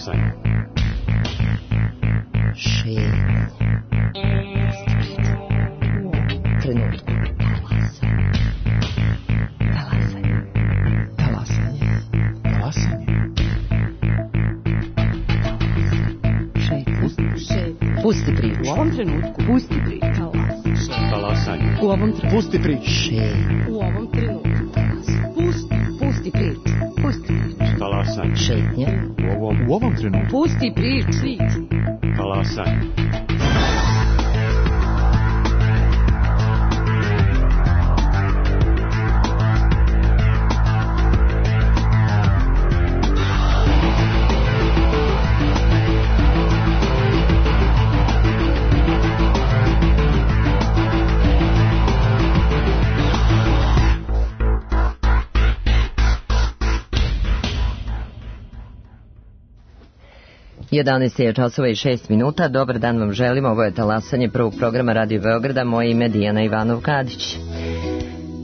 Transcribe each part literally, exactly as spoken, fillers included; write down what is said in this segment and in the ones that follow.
Talasanje. Šetnje. Trenutku. Talasanje. Talasanje. Talasanje. Šetnje. Pusti priču. U ovom trenutku. Pusti priču. Talasanje. U ovom trenutku. Pusti priču. Šetnje. U ovom trenutku. Pusti. Pusti priču. Pusti priču. Talasanje. Šetnje. U ovom, u ovom trenutku. Pusti priču. Talasanje. jedanaest je časova i šest minuta. Dobar dan vam želim. Ovo je talasanje prvog programa Radio Beograda. Moje ime je Dijana Ivanov-Kadić.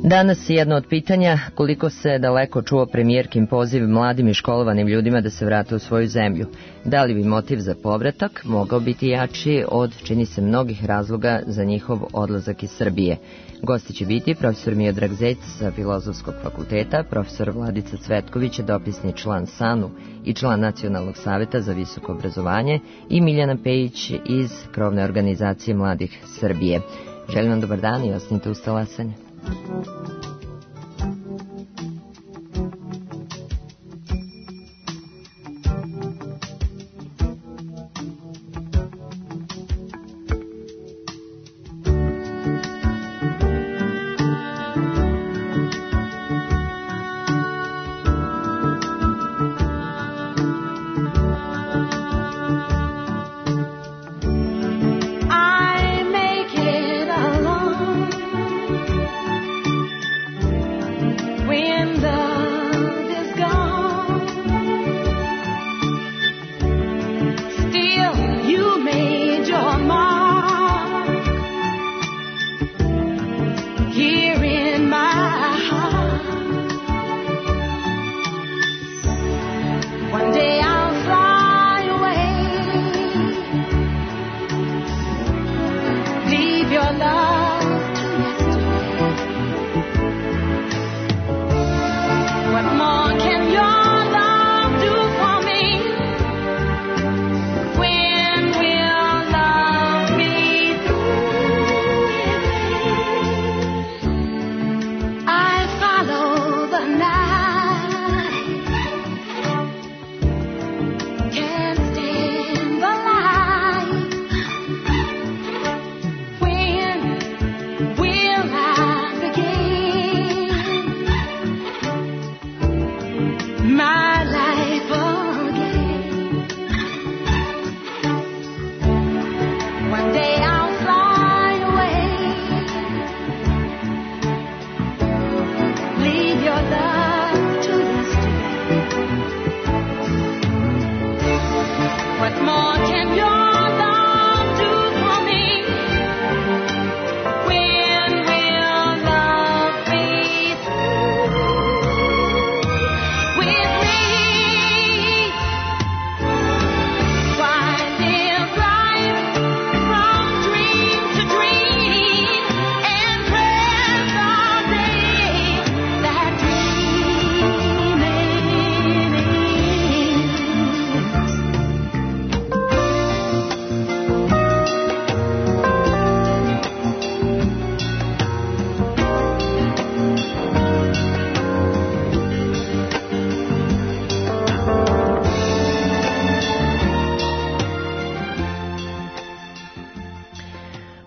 Danas jedno od pitanja koliko se daleko čuo premijerkin poziv mladim i školovanim ljudima da se vrate u svoju zemlju. Da li bi motiv za povratak mogao biti jači od, čini se, mnogih razloga za njihov odlazak iz Srbije? Gosti će biti profesor Miodrag Zec sa Filozofskog fakulteta, profesor Vladica Cvetković, dopisni član SANU i član Nacionalnog saveta za visoko obrazovanje, i Miljana Pejić iz krovne organizacije Mladih Srbije. Želim vam dobar dan i ostanite uz talasanje.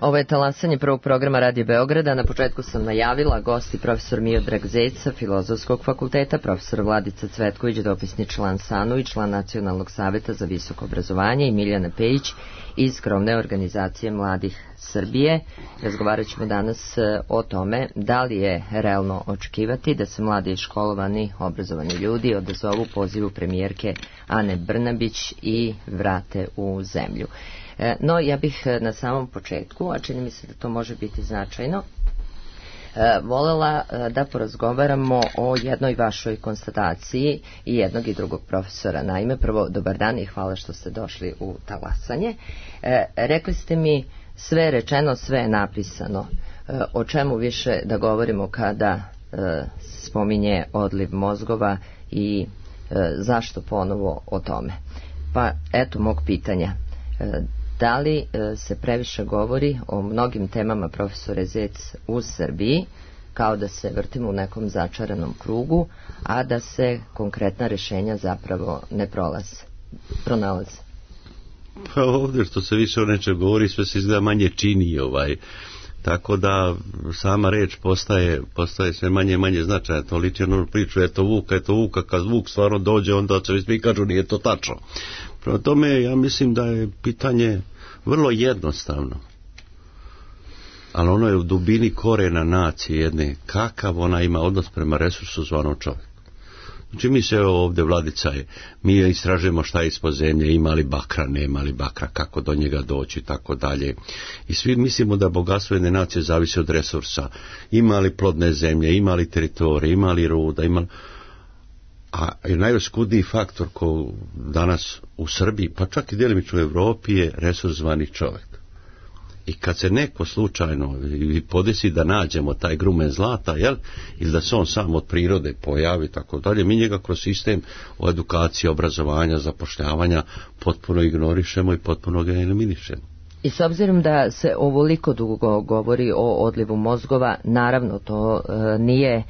Ovo je talasanje prvog programa Radio Beograda. Na početku sam najavila gosti profesor Miodrag Zec sa Filozofskog fakulteta, profesor Vladica Cvetković, dopisni član SANU i član Nacionalnog saveta za visoko obrazovanje, i Miljana Pejić iz krovne organizacije Mladih Srbije. Razgovarat ćemo danas o tome da li je realno očekivati da se mladi školovani, obrazovani ljudi odazovu pozivu premijerke Ane Brnabić i vrate u zemlju. No, ja bih na samom početku, a čini mi se da to može biti značajno, E, volela e, da porazgovaramo o jednoj vašoj konstataciji i jednog i drugog profesora. Naime, prvo, dobar dan i hvala što ste došli u Talasanje. E, rekli ste mi, sve je rečeno, sve je napisano. E, o čemu više da govorimo kada e, spominje odliv mozgova i e, zašto ponovo o tome? Pa eto mog pitanja. E, da li e, se previše govori o mnogim temama, profesore Zec, u Srbiji, kao da se vrtimo u nekom začaranom krugu, a da se konkretna rješenja zapravo ne prolaze, pronalaze? Pa ovdje što se više o nečem govori, sve se izgleda manje čini, ovaj. Tako da sama reč postaje, postaje sve manje i manje značajna. To liči onu priču, eto Vuka, eto Vuka, kad Vuk stvarno dođe, onda se svi kažu nije to tačno. Prema tome, ja mislim da je pitanje vrlo jednostavno. Ali ono je u dubini korena nacije jedne, kakav ona ima odnos prema resursu zvanom čovjek. Znači mi se ovdje, Vladica je, mi istražujemo šta je ispod zemlje, ima li bakra, nema li bakra, kako do njega doći i tako dalje. I svi mislimo da bogatstvo jedne nacije zavisi od resursa. Ima li plodne zemlje, ima li teritorije, ima li ruda, ima li... A najoskudniji faktor ko danas u Srbiji, pa čak i djelimično u Evropi, je resurs zvani čovjek. I kad se neko slučajno podesi da nađemo taj grumen zlata, jel, ili da se on sam od prirode pojavi, tako dalje, mi njega kroz sistem o edukaciji, obrazovanja, zapošljavanja potpuno ignorišemo i potpuno ga eliminišemo. I s obzirom da se ovoliko dugo govori o odlivu mozgova, naravno to e, nije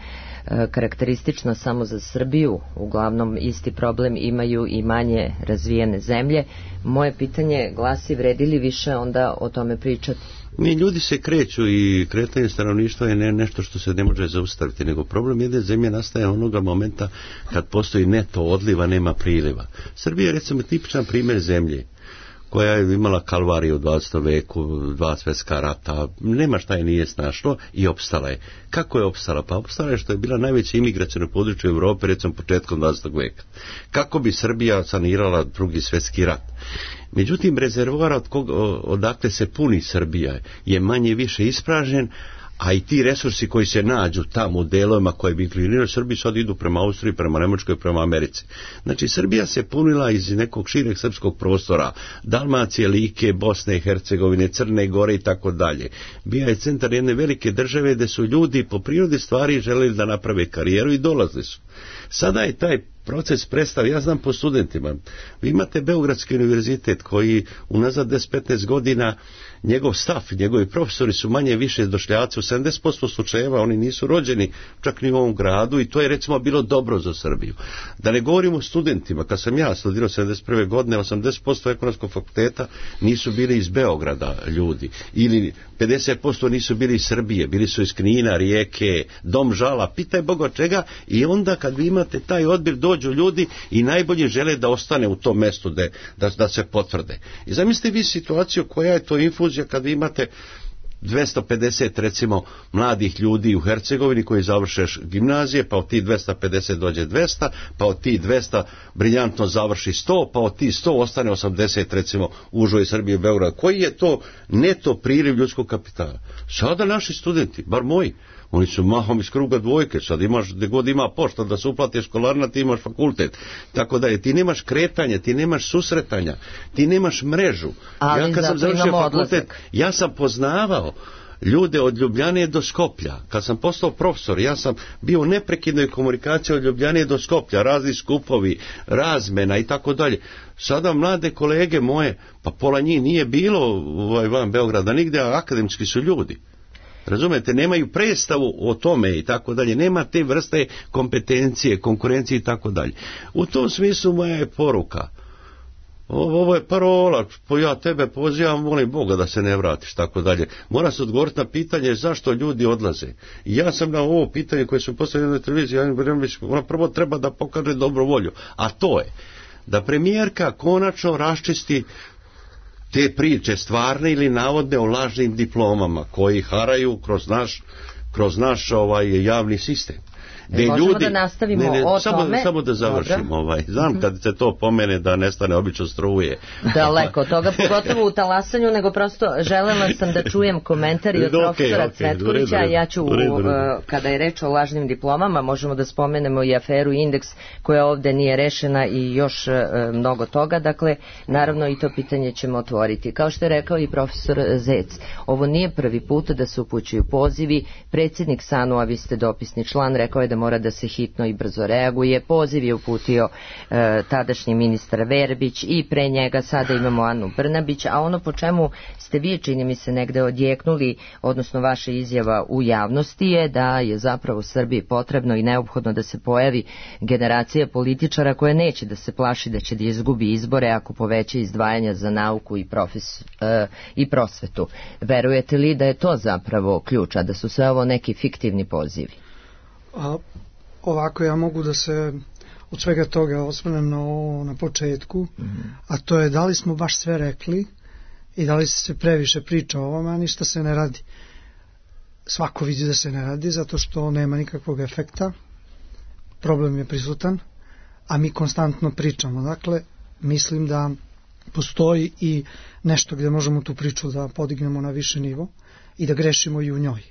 e, karakteristično samo za Srbiju, uglavnom isti problem imaju i manje razvijene zemlje. Moje pitanje glasi, vredi li više onda o tome pričati? Mi ljudi se kreću i kretanje stanovništva je ne, nešto što se ne može zaustaviti, nego problem jedne zemlje nastaje onoga momenta kad postoji neto odliva, nema priliva. Srbija je recimo tipičan primjer zemlje koja je imala kalvariju u dvadesetom veku, dva svjetska rata, nema šta je nije snašlo i opstala je. Kako je opstala? Pa opstala je što je bila najveće imigracijno područje u Europi, recimo početkom dvadesetog veka. Kako bi Srbija sanirala drugi svjetski rat? Međutim, rezervoar od koga, odakle se puni Srbija je manje više ispražen, a i ti resursi koji se nađu tamo u delovima koje bi inklinirali Srbiji sad idu prema Austriji, prema Nemačkoj, prema Americi. Znači Srbija se punila iz nekog šireg srpskog prostora, Dalmacije, Like, Bosne i Hercegovine, Crne Gore i tako dalje. Bio je centar jedne velike države gdje su ljudi po prirodi stvari želeli da naprave karijeru i dolazili su. Sada je taj proces prestao, ja znam po studentima. Vi imate Beogradski univerzitet koji unazad deset do petnaest godina njegov staf, njegovi profesori su manje više došljaci, u sedamdeset posto slučajeva oni nisu rođeni čak ni u ovom gradu i to je recimo bilo dobro za Srbiju. Da ne govorimo o studentima, kad sam ja studirao sedamdeset prve godine, osamdeset posto ekonomskog fakulteta nisu bili iz Beograda ljudi, ili pedeset posto nisu bili iz Srbije, bili su iz Knina, Rijeke, Dom žala, pitaj Boga čega, i onda kad vi imate taj odbir dođu ljudi i najbolje žele da ostane u tom mjestu da, da, da se potvrde. I zamislite vi situaciju koja je to infuzija kad vi imate dvjesto pedeset recimo mladih ljudi u Hercegovini koji završe gimnazije, pa od tih dvjesto pedeset dođe dvjesto, pa od tih dvjesto briljantno završi sto, pa od tih sto ostane osamdeset recimo u užoj Srbiji i Beogradu. Koji je to neto priliv ljudskog kapitala? Sada naši studenti, bar moji, oni su mahom iz kruga dvojke, sad imaš, gdje god ima pošta da se uplati školarina, ti imaš fakultet. Tako da je, ti nemaš kretanja, ti nemaš susretanja, ti nemaš mrežu. Ali ja kad sam završio fakultet, odlazak. Ja sam poznavao ljude od Ljubljane do Skoplja. Kad sam postao profesor, ja sam bio u neprekidnoj komunikaciji od Ljubljane do Skoplja, razni skupovi, razmena i tako dalje. Sada mlade kolege moje, pa pola njih nije bilo ovaj, van Beograda nigdje, a akademski su ljudi. Razumete, nemaju predstavu o tome i tako dalje, nema te vrste kompetencije, konkurencije i tako dalje. U tom smislu moja je poruka. Ovo je parola, ja tebe pozivam, molim Boga da se ne vratiš, tako dalje. Mora se odgovoriti na pitanje zašto ljudi odlaze. I ja sam na ovo pitanje koje su postavljene na televiziji, ona prvo treba da pokaže dobru volju, a to je da premijerka konačno raščisti te priče stvarne ili navodne o lažnim diplomama koji haraju kroz naš, kroz naš ovaj javni sistem. gde Možemo ljudi, da nastavimo ne, ne, o samo, tome. samo da završim, Dobro. ovaj, znam kad se to pomene da nestane obično struje. Daleko od toga, pogotovo u talasanju, nego prosto želela sam da čujem komentari od Ok, profesora ok, Cvetkovića, u redu, ja ću, u redu, u redu. uh, kada je reč o lažnim diplomama, možemo da spomenemo i aferu Indeks, koja ovde nije rešena i još uh, mnogo toga, dakle, naravno i to pitanje ćemo otvoriti. Kao što je rekao i profesor Zec, ovo nije prvi put da se upućuju pozivi, predsjednik S A N U, a vi ste dopisni član, rekao je da mora da se hitno i brzo reaguje, poziv je uputio uh, tadašnji ministar Verbić i pre njega sada imamo Anu Brnabić, a ono po čemu ste vi, čini mi se, negde odjeknuli, odnosno vaša izjava u javnosti je da je zapravo Srbiji potrebno i neophodno da se pojavi generacija političara koja neće da se plaši da će da izgubi izbore ako poveća izdvajanja za nauku i, profes, e, i prosvetu. Verujete li da je to zapravo ključ, a da su sve ovo neki fiktivni pozivi? A, ovako ja mogu da se od svega toga osvrnem na ovo na početku, mm-hmm. a to je da li smo baš sve rekli i da li se previše priča o ovome, a ništa se ne radi. Svako vidi da se ne radi zato što nema nikakvog efekta, problem je prisutan, a mi konstantno pričamo. Dakle, mislim da postoji i nešto gdje možemo tu priču da podignemo na više nivo i da grešimo i u njoj.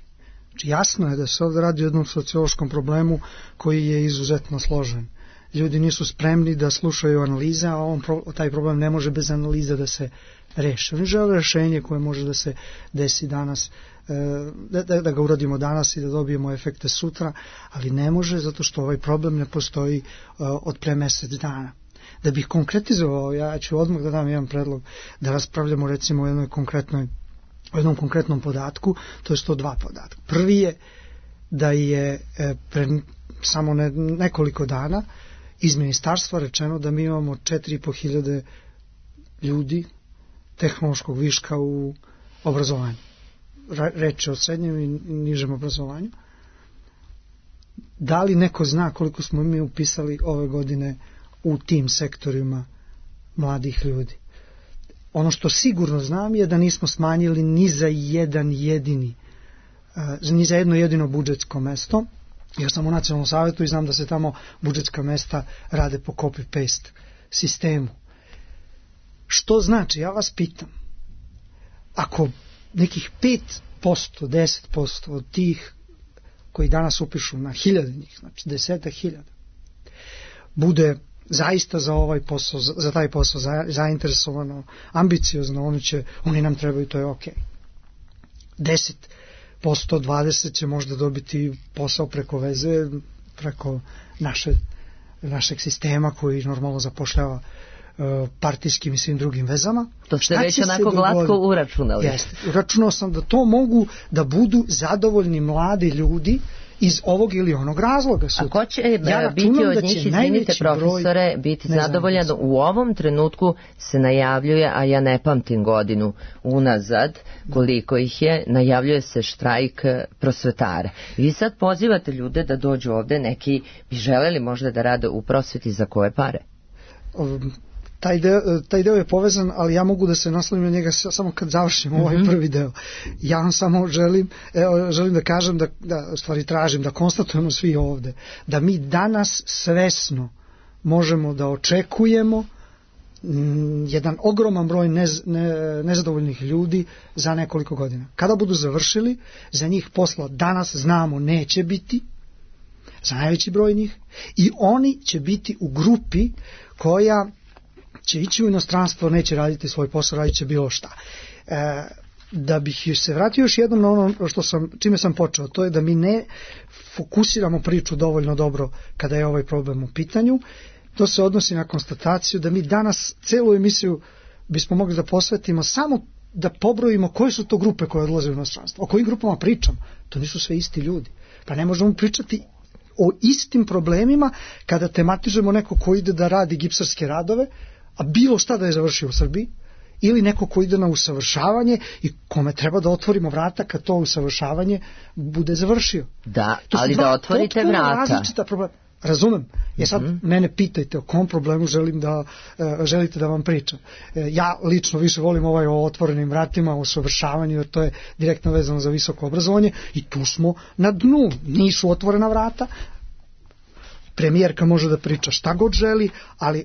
Znači, jasno je da se ovdje radi o jednom sociološkom problemu koji je izuzetno složen. Ljudi nisu spremni da slušaju analize, a on, taj problem ne može bez analize da se reši. Oni žele rešenje koje može da se desi danas, da, da, da ga uradimo danas i da dobijemo efekte sutra, ali ne može zato što ovaj problem ne postoji od pre mesec dana. Da bih konkretizovao, ja ću odmah da dam jedan predlog, da raspravljamo recimo o jednoj konkretnoj, o jednom konkretnom podatku, to je sto dva podatka. Prvi je da je pre samo ne, nekoliko dana iz ministarstva rečeno da mi imamo četiri i po hiljade ljudi tehnološkog viška u obrazovanju. Reč je o srednjem i nižem obrazovanju. Da li neko zna koliko smo mi upisali ove godine u tim sektorima mladih ljudi? Ono što sigurno znam je da nismo smanjili ni za jedan jedini, ni za jedno jedino budžetsko mesto. Ja sam u nacionalnom savjetu i znam da se tamo budžetska mesta rade po copy-paste sistemu. Što znači, ja vas pitam, ako nekih pet posto, deset posto od tih koji danas upišu na hiljade njih, znači desetak hiljada, bude zaista za ovaj posao, za taj posao zainteresovano, ambiciozno, oni, će, oni nam trebaju, to je ok. deset posto, dvadeset će možda dobiti posao preko veze, preko naše, našeg sistema koji normalno zapošljava uh, partijskim i svim drugim vezama. To ste već onako glatko uračunali. Jeste. Uračunao sam da to mogu da budu zadovoljni mladi ljudi iz ovog ili onog razloga. A ko će ja biti od njih, izvinite profesore, biti zadovoljan? U ovom trenutku se najavljuje, a ja ne pamtim godinu unazad koliko ih je, najavljuje se štrajk prosvetara. Vi sad pozivate ljude da dođu ovde, neki bi želeli možda da rade u prosveti, za koje pare? Um, Taj deo, taj deo je povezan, ali ja mogu da se naslovim na njega samo kad završim ovaj mm-hmm. prvi deo. Ja vam samo želim, evo, želim da kažem, da, da stvari tražim, da konstatujemo svi ovde, da mi danas svesno možemo da očekujemo m, jedan ogroman broj nez, ne, nezadovoljnih ljudi za nekoliko godina. Kada budu završili, za njih posla danas znamo neće biti, za najveći broj njih, i oni će biti u grupi koja će ići u inostranstvo, neće raditi svoj posao, radit će bilo šta. E, da bih se vratio još jednom na ono što sam, čime sam počeo, to je da mi ne fokusiramo priču dovoljno dobro kada je ovaj problem u pitanju. To se odnosi na konstataciju da mi danas celu emisiju bismo mogli da posvetimo samo da pobrojimo koje su to grupe koje odlaze u inostranstvo. O kojim grupama pričam? To nisu sve isti ljudi. Pa ne možemo pričati o istim problemima kada tematizujemo neko ko ide da radi gipsarske radove, a bilo šta da je završio u Srbiji, ili neko ko ide na usavršavanje i kome treba da otvorimo vrata kad to usavršavanje bude završio. Da, ali da otvorite vrata. Različita problema. Razumem. Ja sad mm-hmm. mene pitajte o kom problemu želim da, uh, želite da vam pričam. Uh, ja lično više volim ovaj o otvorenim vratima, o usavršavanju, jer to je direktno vezano za visoko obrazovanje i tu smo na dnu. Nisu otvorena vrata, premijerka može da priča šta god želi, ali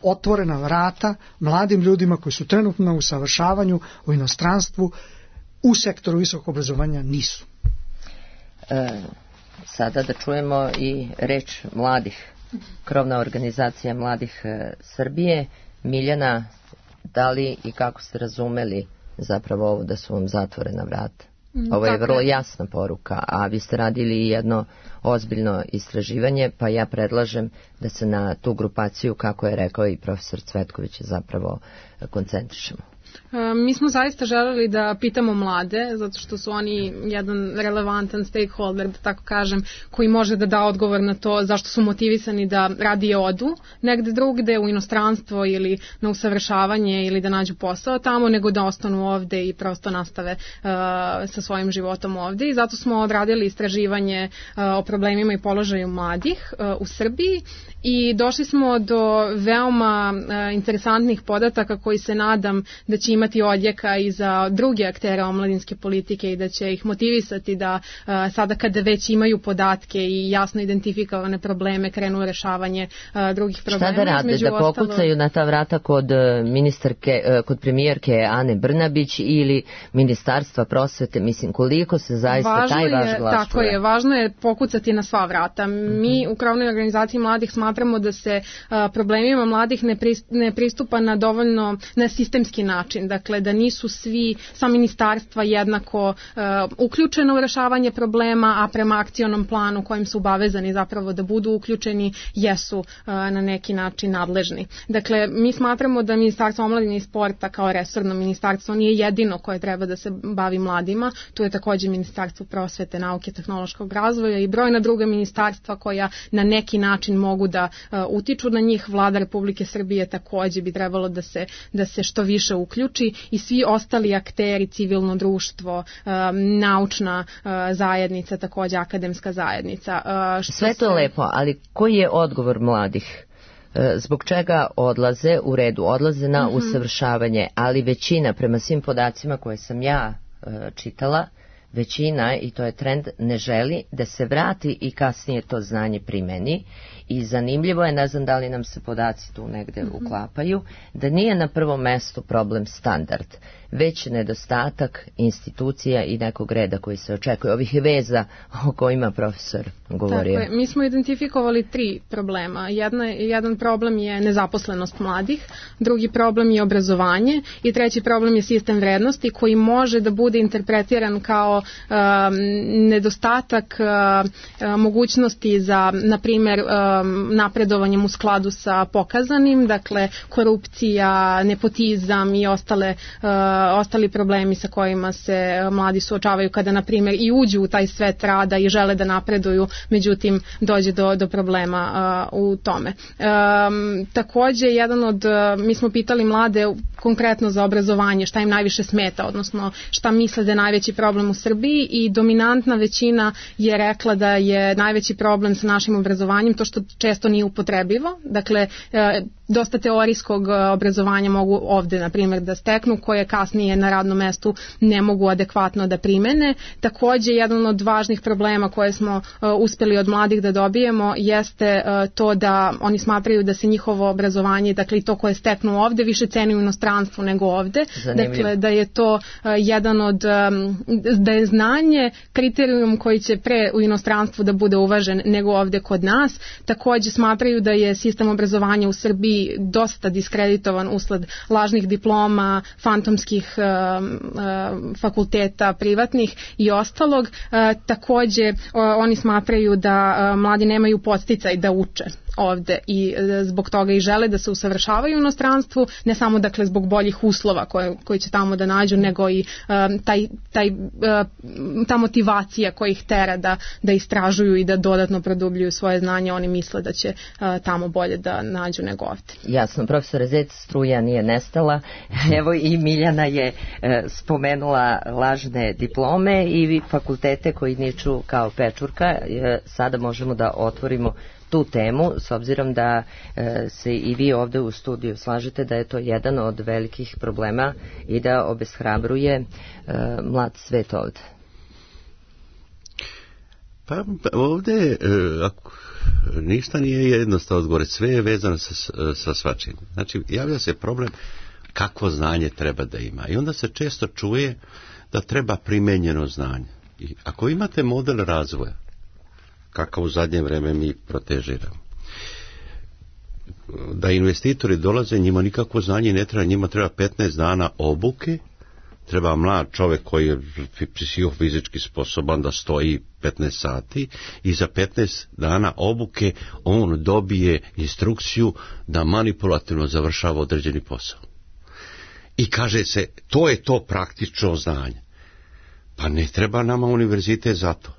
otvorena vrata mladim ljudima koji su trenutno na usavršavanju u inostranstvu u sektoru visokog obrazovanja nisu. E, sada da čujemo i reč mladih. Krovna organizacija mladih e, Srbije. Miljana, da li i kako ste razumeli zapravo ovo da su vam zatvorena vrata? Ovo je vrlo jasna poruka, a vi ste radili jedno ozbiljno istraživanje, pa ja predlažem da se na tu grupaciju, kako je rekao i profesor Cvetković, zapravo koncentrišemo. Mi smo zaista želeli da pitamo mlade, zato što su oni jedan relevantan stakeholder, da tako kažem, koji može da da odgovor na to zašto su motivisani da radije odu negde drugde, u inostranstvo ili na usavršavanje ili da nađu posao tamo, nego da ostanu ovde i prosto nastave uh, sa svojim životom ovde. I zato smo odradili istraživanje uh, o problemima i položaju mladih uh, u Srbiji i došli smo do veoma uh, interesantnih podataka koji se nadam da će imati odjeka i za druge aktere omladinske politike i da će ih motivisati da uh, sada kada već imaju podatke i jasno identifikovane probleme krenu u rešavanje uh, drugih problema. Šta da rade? Da pokucaju ostalo... na ta vrata kod ministarke, uh, kod premijerke Ane Brnabić ili Ministarstva prosvete? Mislim, koliko se zaista važno taj vaš glas Tako čuje? je, važno je pokucati na sva vrata. Mm-hmm. Mi u Krovnoj organizaciji mladih smatramo da se uh, problemima mladih ne, pri, ne pristupa na dovoljno na sistemski način. Dakle, da nisu svi, sva ministarstva jednako uh, uključena u rešavanje problema, a prema akcionom planu kojim su obavezani zapravo da budu uključeni, jesu uh, na neki način nadležni. Dakle, mi smatramo da Ministarstvo omladine i sporta kao resorno ministarstvo nije jedino koje treba da se bavi mladima. Tu je također Ministarstvo prosvete, nauke, tehnološkog razvoja i brojna druga ministarstva koja na neki način mogu da uh, utiču na njih. Vlada Republike Srbije također bi trebalo da se, da se što više uključi i svi ostali akteri, civilno društvo, um, naučna uh, zajednica, također akademska zajednica. Uh, što Sve to je lepo, ali koji je odgovor mladih? Zbog čega odlaze, u redu, odlaze na mm-hmm. usavršavanje, ali većina, prema svim podacima koje sam ja uh, čitala, većina, i to je trend, ne želi da se vrati i kasnije to znanje primeni. I zanimljivo je, ne znam da li nam se podaci tu negde mm-hmm. uklapaju, da nije na prvom mestu problem standard, već nedostatak institucija i nekog reda koji se očekuje, ovih veza o kojima profesor govorio. Tako je, mi smo identifikovali tri problema. Jedna, jedan problem je nezaposlenost mladih, drugi problem je obrazovanje i treći problem je sistem vrednosti koji može da bude interpretiran kao um, nedostatak uh, mogućnosti za, na primjer, um, napredovanjem u skladu sa pokazanim, dakle korupcija, nepotizam i ostale uh, ostali problemi sa kojima se mladi suočavaju kada, na primjer, i uđu u taj svet rada i žele da napreduju, međutim dođe do, do problema uh, u tome. Um, također, jedan od, uh, mi smo pitali mlade konkretno za obrazovanje, šta im najviše smeta, odnosno šta misle da je najveći problem u Srbiji, i dominantna većina je rekla da je najveći problem sa našim obrazovanjem to što često nije upotrebivo. Dakle, uh, dosta teorijskog obrazovanja mogu ovde, na primjer, da steknu, koje kasnije na radnom mestu ne mogu adekvatno da primene. Također, jedan od važnih problema koje smo uh, uspeli od mladih da dobijemo jeste uh, to da oni smatraju da se njihovo obrazovanje, dakle i to koje steknu ovde, više ceni u inostranstvu nego ovde. Zanimljiv. Dakle, da je to uh, jedan od, um, da je znanje kriterijum koji će pre u inostranstvu da bude uvažen nego ovde kod nas. Također smatraju da je sistem obrazovanja u Srbiji dosta diskreditovan usled lažnih diploma, fantomskih uh, uh, fakulteta privatnih i ostalog. Uh, također uh, oni smatraju da uh, mladi nemaju podsticaj da uče ovde i e, zbog toga i žele da se usavršavaju u inostranstvu, ne samo dakle zbog boljih uslova koje, koji će tamo da nađu, nego i e, taj, taj, e, ta motivacija koja ih tera da, da istražuju i da dodatno produbljuju svoje znanje. Oni misle da će e, tamo bolje da nađu nego ovde. Jasno, profesor Zec, struja nije nestala. Evo i Miljana je e, spomenula lažne diplome i fakultete koji niču kao pečurka. E, sada možemo da otvorimo tu temu, s obzirom da e, se i vi ovde u studiju slažete da je to jedan od velikih problema i da obeshrabruje e, mlad svet ovde. Pa ovde, e, ako ništa nije jednostavno odgovore, sve je vezano sa, sa svačim. Znači, javlja se problem kakvo znanje treba da ima. I onda se često čuje da treba primenjeno znanje. I ako imate model razvoja, kakav u zadnje vreme mi protežiramo, da investitori dolaze, njima nikakvo znanje ne treba, njima treba petnaest dana obuke, treba mlad čovjek koji je psihofizički sposoban da stoji petnaest sati i za petnaest dana obuke on dobije instrukciju da manipulativno završava određeni posao. I kaže se, to je to praktično znanje. Pa ne treba nama univerzitet za to.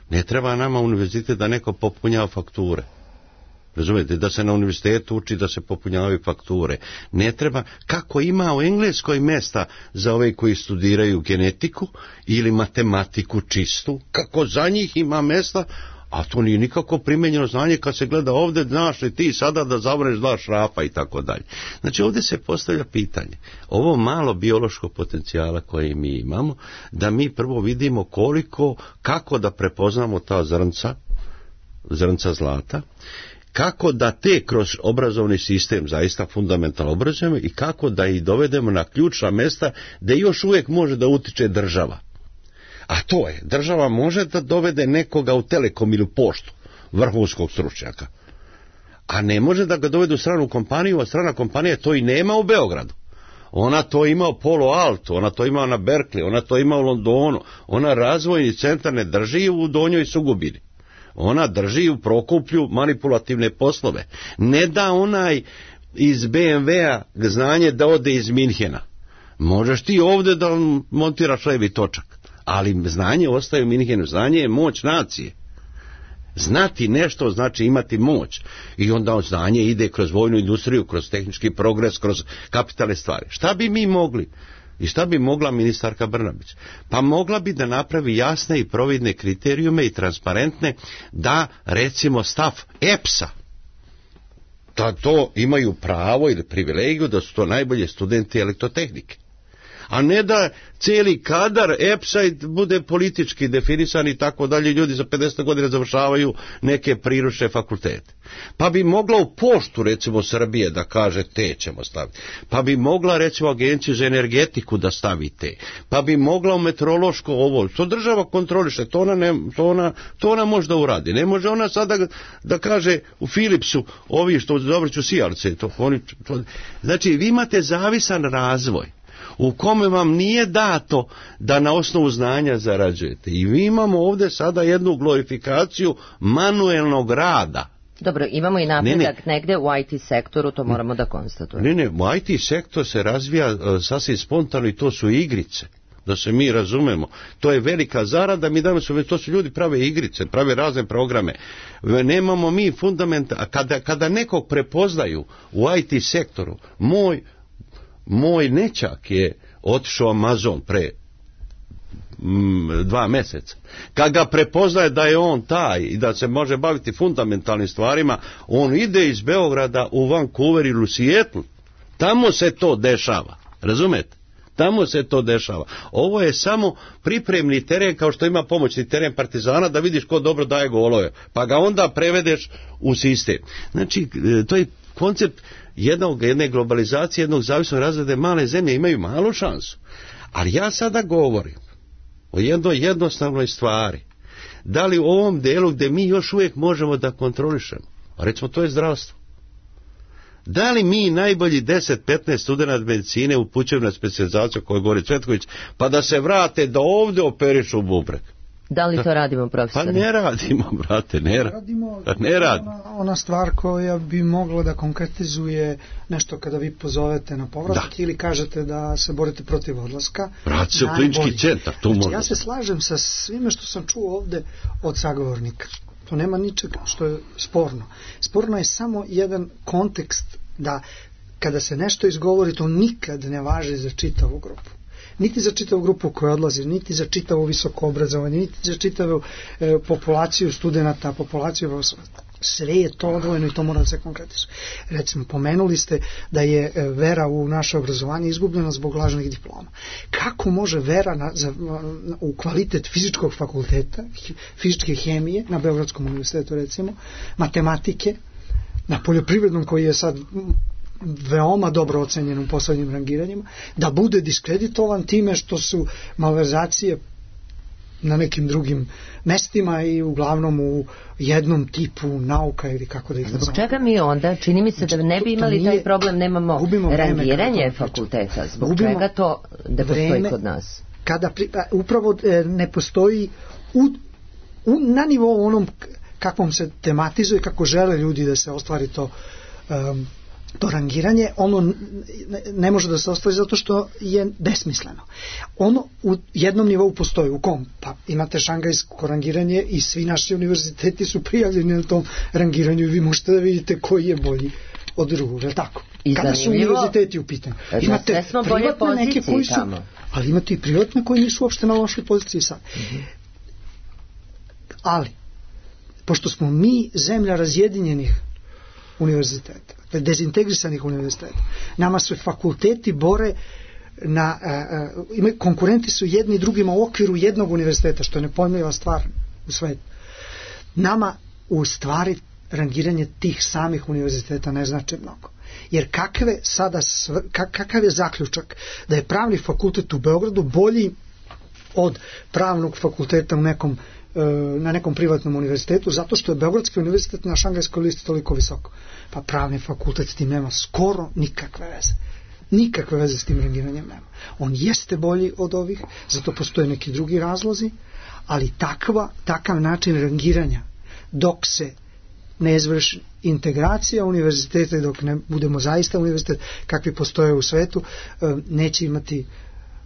Ne treba nama univerzitet da neko popunjava fakture. Razumijete, da se na univerzitetu uči da se popunjavaju fakture. Ne treba, kako ima u Engleskoj mjesta za ove koji studiraju genetiku ili matematiku čistu, kako za njih ima mjesta, a to nije nikako primenjeno znanje kad se gleda ovdje, znaš li ti sada da zavrneš dva šrapa i tako dalje. Znači ovdje se postavlja pitanje, ovo malo biološkog potencijala koje mi imamo, da mi prvo vidimo koliko, kako da prepoznamo ta zrnca, zrnca zlata, kako da te kroz obrazovni sistem zaista fundamentalno obrazujemo i kako da ih dovedemo na ključna mjesta da još uvijek može da utiče država. A to je, država može da dovede nekoga u Telekom ili u poštu, vrhunskog stručnjaka, a ne može da ga dovede u stranu kompaniju, a strana kompanija to i nema u Beogradu. Ona to ima u Palo Alto, ona to ima na Berkeley, ona to ima u Londonu, ona razvojni centar ne drži u Donjoj Sugubini. Ona drži u Prokuplju manipulativne poslove. Ne da onaj iz be em ve-a znanje da ode iz Minhena. Možeš ti ovdje da montiraš levi točak, ali znanje ostaje u Minhenu. Znanje je moć nacije. Znati nešto znači imati moć. I onda znanje ide kroz vojnu industriju, kroz tehnički progres, kroz kapitalne stvari. Šta bi mi mogli? I šta bi mogla ministarka Brnabić? Pa mogla bi da napravi jasne i providne kriterijume i transparentne da, recimo, stav E P S-a, da to imaju pravo ili privilegiju da su to najbolje studenti elektrotehnike. A ne da cijeli kadar E P S-a bude politički definisan i tako dalje, ljudi za pedeset godina završavaju neke priručne fakultete. Pa bi mogla u poštu, recimo, Srbije da kaže te ćemo staviti. Pa bi mogla, recimo, agenciju za energetiku da stavi te. Pa bi mogla u meteorološko ovo. To država kontroliše, to ona, ne, to ona, to ona može da uradi. Ne može ona sada da, da kaže u Philipsu, ovi što dobriću sijalice. To, oni, to, znači, vi imate zavisan razvoj u kome vam nije dato da na osnovu znanja zarađujete. I mi imamo ovdje sada jednu glorifikaciju manuelnog rada. Dobro, imamo i napredak ne, ne. negde u I T sektoru, to moramo da konstatujemo. Ne, ne, u I T sektor se razvija uh, sasvim spontano i to su igrice. Da se mi razumemo. To je velika zarada, mi danas su, to su ljudi prave igrice, prave razne programe. Nemamo mi fundamenta, a kada, kada nekog prepoznaju u I T sektoru, moj Moj nećak je otišao Amazon pre mm, dva mjeseca. Kad ga prepoznaje da je on taj i da se može baviti fundamentalnim stvarima, on ide iz Beograda u Vancouver ili u Seattle. Tamo se to dešava. Razumete? Tamo se to dešava. Ovo je samo pripremni teren, kao što ima pomoćni teren Partizana, da vidiš ko dobro daje golove. Pa ga onda prevedeš u sistem. Znači, to je koncept jednog, jedne globalizacije, jednog zavisnog razreda. Male zemlje imaju malu šansu. Ali ja sada govorim o jednoj jednostavnoj stvari. Da li u ovom delu gdje mi još uvijek možemo da kontrolišemo, a recimo to je zdravstvo. Da li mi najbolji deset do petnaest studenata medicine upućuju na specijalizaciju koju govori Cvetković, pa da se vrate da ovdje operišu bubreg? Da li to radimo, profesore? Pa ne radimo, brate, ne radimo. Ne radimo. Ona, ona stvar koja bi mogla da konkretizuje nešto kada vi pozovete na povratak ili kažete da se borite protiv odlaska. Vrati se u klinički centar. Znači, može. Ja se slažem sa svime što sam čuo ovde od sagovornika. To nema ničeg što je sporno. Sporno je samo jedan kontekst da kada se nešto izgovori, to nikad ne važi za čitavu grupu. Niti za čitavu grupu koja odlazi, niti za čitavu visoko obrazovanje, niti za čitavu e, populaciju studenta, populaciju Sve je to odvojeno i to mora da se konkretizuje. Recimo, pomenuli ste da je vera u naše obrazovanje izgubljena zbog lažnih diploma. Kako može vera na, za, na, u kvalitet fizičkog fakulteta, fizičke hemije, na Beogradskom univerzitetu recimo, matematike, na poljoprivrednom koji je sad veoma dobro ocenjen u poslednjim rangiranjima, da bude diskreditovan time što su malverzacije na nekim drugim mestima i uglavnom u jednom tipu nauka ili kako da ih nazovemo. Zbog čega mi onda, čini mi se da ne bi imali taj problem, nemamo rangiranje fakulteta, zbog čega to da postoji kod nas? Kada pri, upravo ne postoji u, u, na nivou onom kakvom se tematizuje, kako žele ljudi da se ostvari to um, to rangiranje, ono ne može da se ostvari zato što je besmisleno. Ono u jednom nivou postoji, u kom? Pa imate šangajsko rangiranje i svi naši univerziteti su prijavljeni na tom rangiranju i vi možete da vidite koji je bolji od drugog, je li tako? I kada su univerziteti u pitanju. Imate privatne neke koji su, tamo. Ali imate i privatne koji nisu uopšte na lošoj poziciji sad. Mm-hmm. Ali, pošto smo mi zemlja razjedinjenih univerziteta, dezintegrisanih univerziteta, nama se fakulteti bore na, uh, uh, konkurenti su jedni drugima u okviru jednog univerziteta, što je nepojmljiva stvar u svetu. Nama u stvari rangiranje tih samih univerziteta ne znači mnogo. Jer kakve sada, kakav je zaključak da je pravni fakultet u Beogradu bolji od pravnog fakulteta u nekom, na nekom privatnom univerzitetu, zato što je Beogradski univerzitet na šangajskoj listi toliko visoko. Pa pravni fakultet s tim nema skoro nikakve veze. Nikakve veze s tim rangiranjem nema. On jeste bolji od ovih, zato postoje neki drugi razlozi, ali takva, takav način rangiranja dok se ne izvrši integracija univerziteta i dok ne budemo zaista univerzitet kakvi postoje u svetu, neće imati,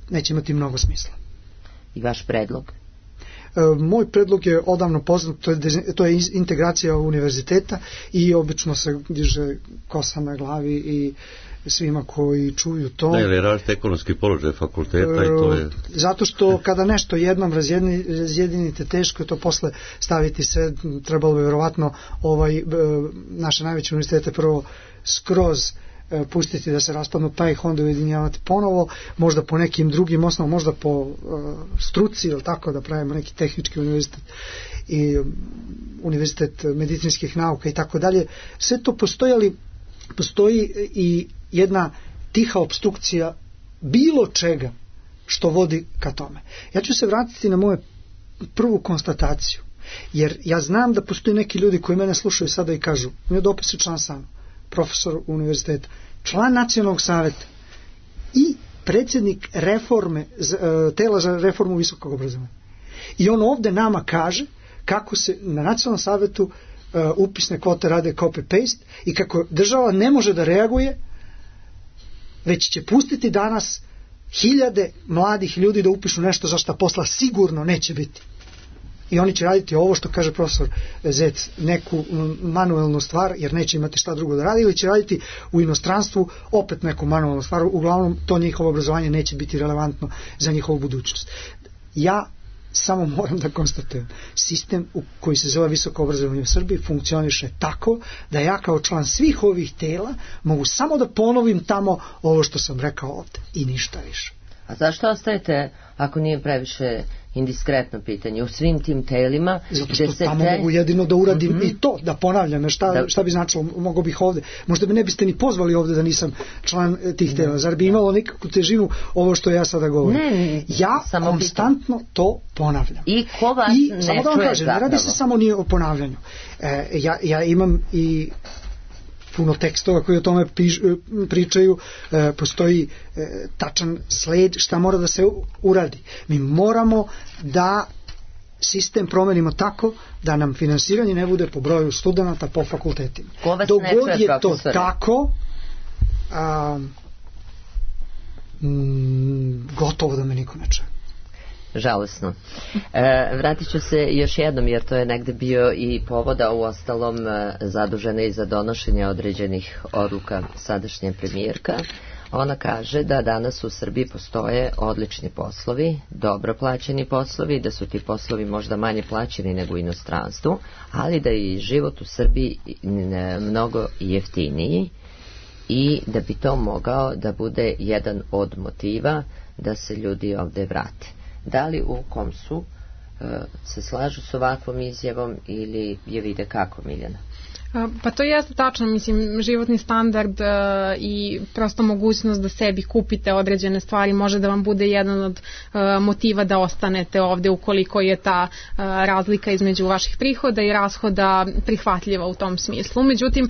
neće imati mnogo smisla. I vaš predlog? Moj predlog je odavno poznat, to je, to je integracija univerziteta i obično se diže kosa na glavi i svima koji čuju to. Da, ili različite ekonomski položaj fakulteta i to je... Zato što kada nešto jednom razjedini, razjedinite, teško je to posle staviti sve, trebalo bi vjerovatno ovaj, naše najveće univerzitete prvo skroz pustiti da se raspadnu, pa ih onda ujedinjavati ponovo, možda po nekim drugim osnovama, možda po uh, struci, ili tako, da pravimo neki tehnički univerzitet i um, univerzitet medicinskih nauka i tako dalje. Sve to postoji, ali postoji i jedna tiha obstrukcija bilo čega što vodi ka tome. Ja ću se vratiti na moju prvu konstataciju, jer ja znam da postoji neki ljudi koji mene slušaju sada i kažu, mi je dopis je član sam, profesor univerziteta, član nacionalnog saveta i predsjednik reforme, tela za reformu visokog obrazovanja. I on ovde nama kaže kako se na nacionalnom savetu upisne kvote rade copy-paste i kako država ne može da reaguje, već će pustiti danas hiljade mladih ljudi da upišu nešto za šta posla sigurno neće biti. I oni će raditi ovo što kaže profesor Zec, neku manuelnu stvar, jer neće imati šta drugo da radi, ili će raditi u inostranstvu opet neku manuelnu stvar, uglavnom to njihovo obrazovanje neće biti relevantno za njihovu budućnost. Ja samo moram da konstatujem, sistem u koji se zove visoko obrazovanje u Srbiji funkcioniše tako da ja kao član svih ovih tela mogu samo da ponovim tamo ovo što sam rekao ovde i ništa više. A zašto ostajete, ako nije previše indiskretno pitanje, u svim tim telima? Zato što tamo te... mogu jedino da uradim mm-hmm. i to, da ponavljam, šta, da... šta bi značilo, mogo bih ovde. Možda me ne biste ni pozvali ovde da nisam član tih tela. Zar bi imalo nekakvu težinu ovo što ja sada govorim? Ne, ja konstantno pitam. To ponavljam. I ko vas I, ne samo da vam kažem, ne radi se samo nije o ponavljanju. E, ja, ja imam i puno tekstova koji o tome piš, pričaju, e, postoji e, tačan sled šta mora da se uradi. Mi moramo da sistem promenimo tako da nam finansiranje ne bude po broju studenata po fakultetima. Dogod je to tako, a, m, gotovo da me niko ne čuje. Žalosno. E, vratit ću se još jednom, jer to je negde bio i povoda, u ostalom zadužena i za donošenje određenih odluka sadašnja premijerka, Ona kaže da danas u Srbiji postoje odlični poslovi, dobro plaćeni poslovi, da su ti poslovi možda manje plaćeni nego u inostranstvu, ali da je i život u Srbiji mnogo jeftiniji i da bi to mogao da bude jedan od motiva da se ljudi ovde vrate. Da li u Komsu se slažu s ovakvom izjavom ili je vide kako, Miljana? Pa to jeste tačno, mislim, životni standard uh, i prosto mogućnost da sebi kupite određene stvari može da vam bude jedan od uh, motiva da ostanete ovde ukoliko je ta uh, razlika između vaših prihoda i rashoda prihvatljiva u tom smislu. Međutim,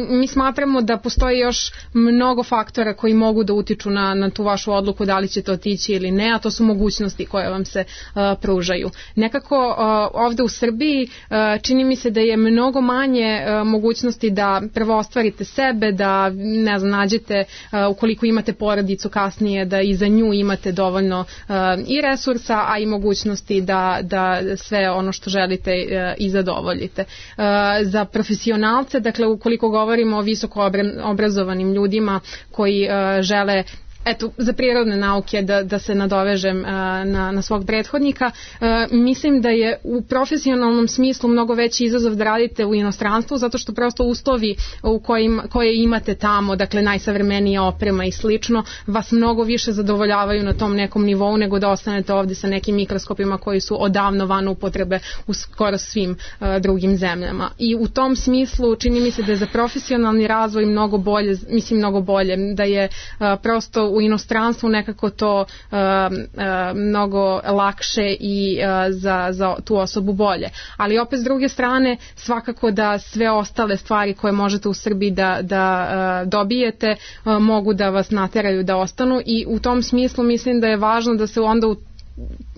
mi smatramo da postoji još mnogo faktora koji mogu da utiču na, na tu vašu odluku da li ćete otići ili ne, a to su mogućnosti koje vam se uh, pružaju. Nekako uh, ovde u Srbiji uh, čini mi se da je mnogo manje uh, mogućnosti da prvo ostvarite sebe, da ne znam, nađete uh, ukoliko imate porodicu kasnije da i za nju imate dovoljno uh, i resursa, a i mogućnosti da, da sve ono što želite uh, i zadovoljite. Uh, za profesionalce, dakle ukoliko govorimo o visoko obrazovanim ljudima koji uh, žele eto, za prirodne nauke da, da se nadovežem a, na, na svog prethodnika, a, mislim da je u profesionalnom smislu mnogo veći izazov da radite u inostranstvu, zato što prosto uslovi u kojim, koje imate tamo, dakle najsavremenija oprema i slično, vas mnogo više zadovoljavaju na tom nekom nivou nego da ostanete ovde sa nekim mikroskopima koji su odavno van upotrebe u skoro svim a, drugim zemljama. I u tom smislu čini mi se da je za profesionalni razvoj mnogo bolje, mislim mnogo bolje, da je a, prosto u inostranstvu nekako to uh, uh, mnogo lakše i uh, za, za tu osobu bolje. Ali opet s druge strane svakako da sve ostale stvari koje možete u Srbiji da, da uh, dobijete uh, mogu da vas nateraju da ostanu i u tom smislu mislim da je važno da se onda u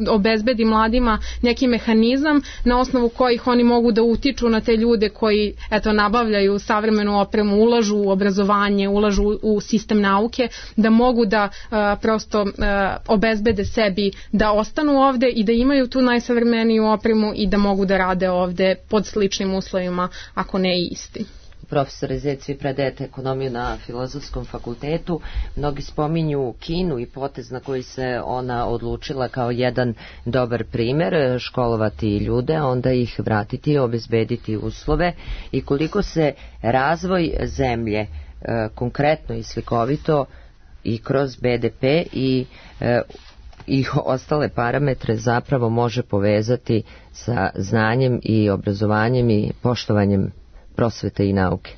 obezbedi mladima neki mehanizam na osnovu kojih oni mogu da utiču na te ljude koji eto nabavljaju savremenu opremu, ulažu u obrazovanje, ulažu u sistem nauke, da mogu da uh, prosto uh, obezbede sebi da ostanu ovde i da imaju tu najsavremeniju opremu i da mogu da rade ovde pod sličnim uslovima, ako ne i isti. Profesore Zec, vi predajete ekonomiju na Filozofskom fakultetu. Mnogi spominju Kinu i potez na koji se ona odlučila kao jedan dobar primer, školovati ljude, onda ih vratiti, obezbediti uslove i koliko se razvoj zemlje e, konkretno i slikovito i kroz be de pe i e, i ostale parametre zapravo može povezati sa znanjem i obrazovanjem i poštovanjem prosvete i nauke.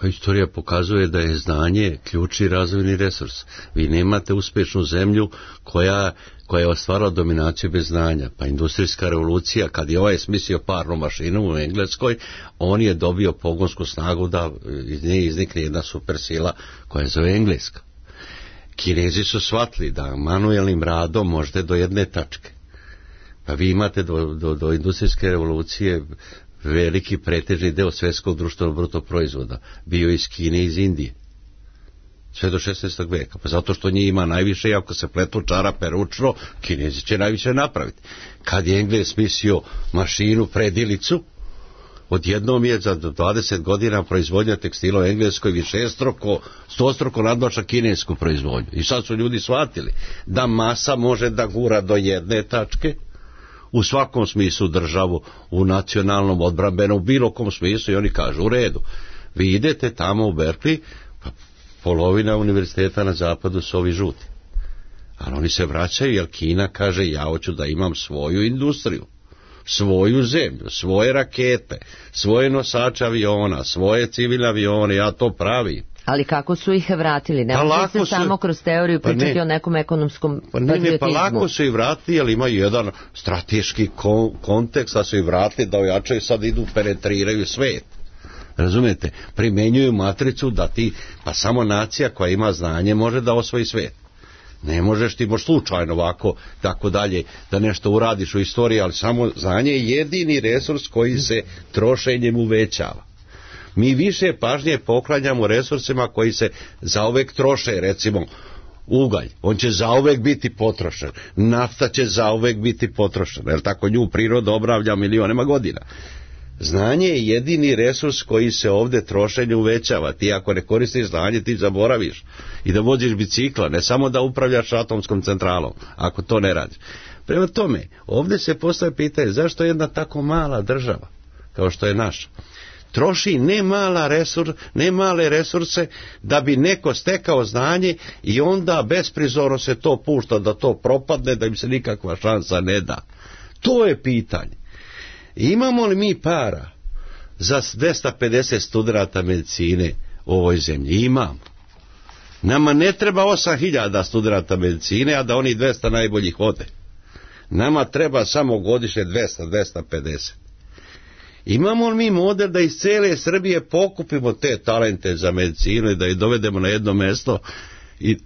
Pa istorija pokazuje da je znanje ključni razvojni resurs. Vi nemate uspešnu zemlju koja, koja je ostvarila dominaciju bez znanja. Pa industrijska revolucija, kad je ovaj smislio parnu mašinu u Engleskoj, on je dobio pogonsku snagu da iz nje iznikne jedna supersila koja je zove Engleska. Kinezi su shvatili da manuelnim radom možete do jedne tačke. Pa vi imate do, do, do industrijske revolucije veliki pretežni deo svjetskog društvenog bruto proizvoda bio iz Kine i iz Indije. Sve do šesnaestog veka. Pa zato što njih ima najviše i ako se pletu čarape ručno, Kinezi će najviše napraviti. Kad je Englez smislio mašinu, predilicu, odjednom je za dvadeset godina proizvodnja tekstila u Engleskoj višestruko, stostruko nadmaša kinesku proizvodnju. I sad su ljudi shvatili da masa može da gura do jedne tačke, u svakom smislu državu, u nacionalnom, odbrambenom, u bilo kom smislu, i oni kažu u redu. Vi idete tamo u Berkeley, pa polovina univerziteta na zapadu su ovi žuti. Ali oni se vraćaju jer Kina kaže ja hoću da imam svoju industriju, svoju zemlju, svoje rakete, svoje nosače aviona, svoje civilne avione, ja to pravim. Ali kako su ih vratili? Ne može se su, samo kroz teoriju pričati pa ne, o nekom ekonomskom pa ne, patriotizmu. Ne, pa lako su ih vratili, ali imaju jedan strateški kon, kontekst, da su ih vratili, da ojačaju, sad idu, penetriraju svet. Razumete? Primenjuju matricu da ti, pa samo nacija koja ima znanje može da osvoji svet. Ne možeš ti, možeš slučajno ovako, tako dalje, da nešto uradiš u istoriji, ali samo znanje je jedini resurs koji se trošenjem uvećava. Mi više pažnje poklanjamo resursima koji se zauvek troše, recimo ugalj, on će zauvek biti potrošen, nafta će zauvek biti potrošena, jer tako nju priroda obnavlja milionima godina. Znanje je jedini resurs koji se ovdje trošenje uvećava. Ti ako ne koristiš znanje, ti zaboraviš i da voziš bicikla, ne samo da upravljaš atomskom centralom, ako to ne radiš. Prema tome, ovdje se postavlja pitanje zašto jedna tako mala država, kao što je naša, troši ne, mala resur, ne male resurse da bi neko stekao znanje i onda besprizorno se to pušta da to propadne, da im se nikakva šansa ne da. To je pitanje. Imamo li mi para za dvesta pedeset studenata medicine u ovoj zemlji? Imamo. Nama ne treba osam hiljada studenata medicine, a da oni dvesta najboljih ode. Nama treba samo godišnje dvesta do dvesta pedeset. Imamo li mi model da iz cijele Srbije pokupimo te talente za medicinu i da ih dovedemo na jedno mjesto i,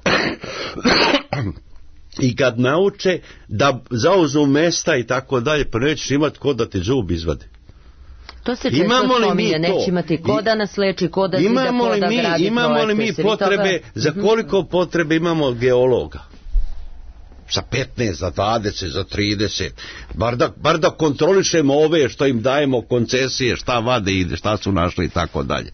i kad nauče da zauzmu mesta i tako dalje, pa nećeš imati ko da ti zub izvade. To se često spominje, neće imati ko da nas leči, ko da zida, ko da gradi projekte. Imamo li mi potrebe, za koliko potrebe imamo geologa? Za petnaest, za dvadeset, za trideset, bar da, bar da kontrolišemo ove što im dajemo koncesije, šta vade ide, šta su našli i tako dalje.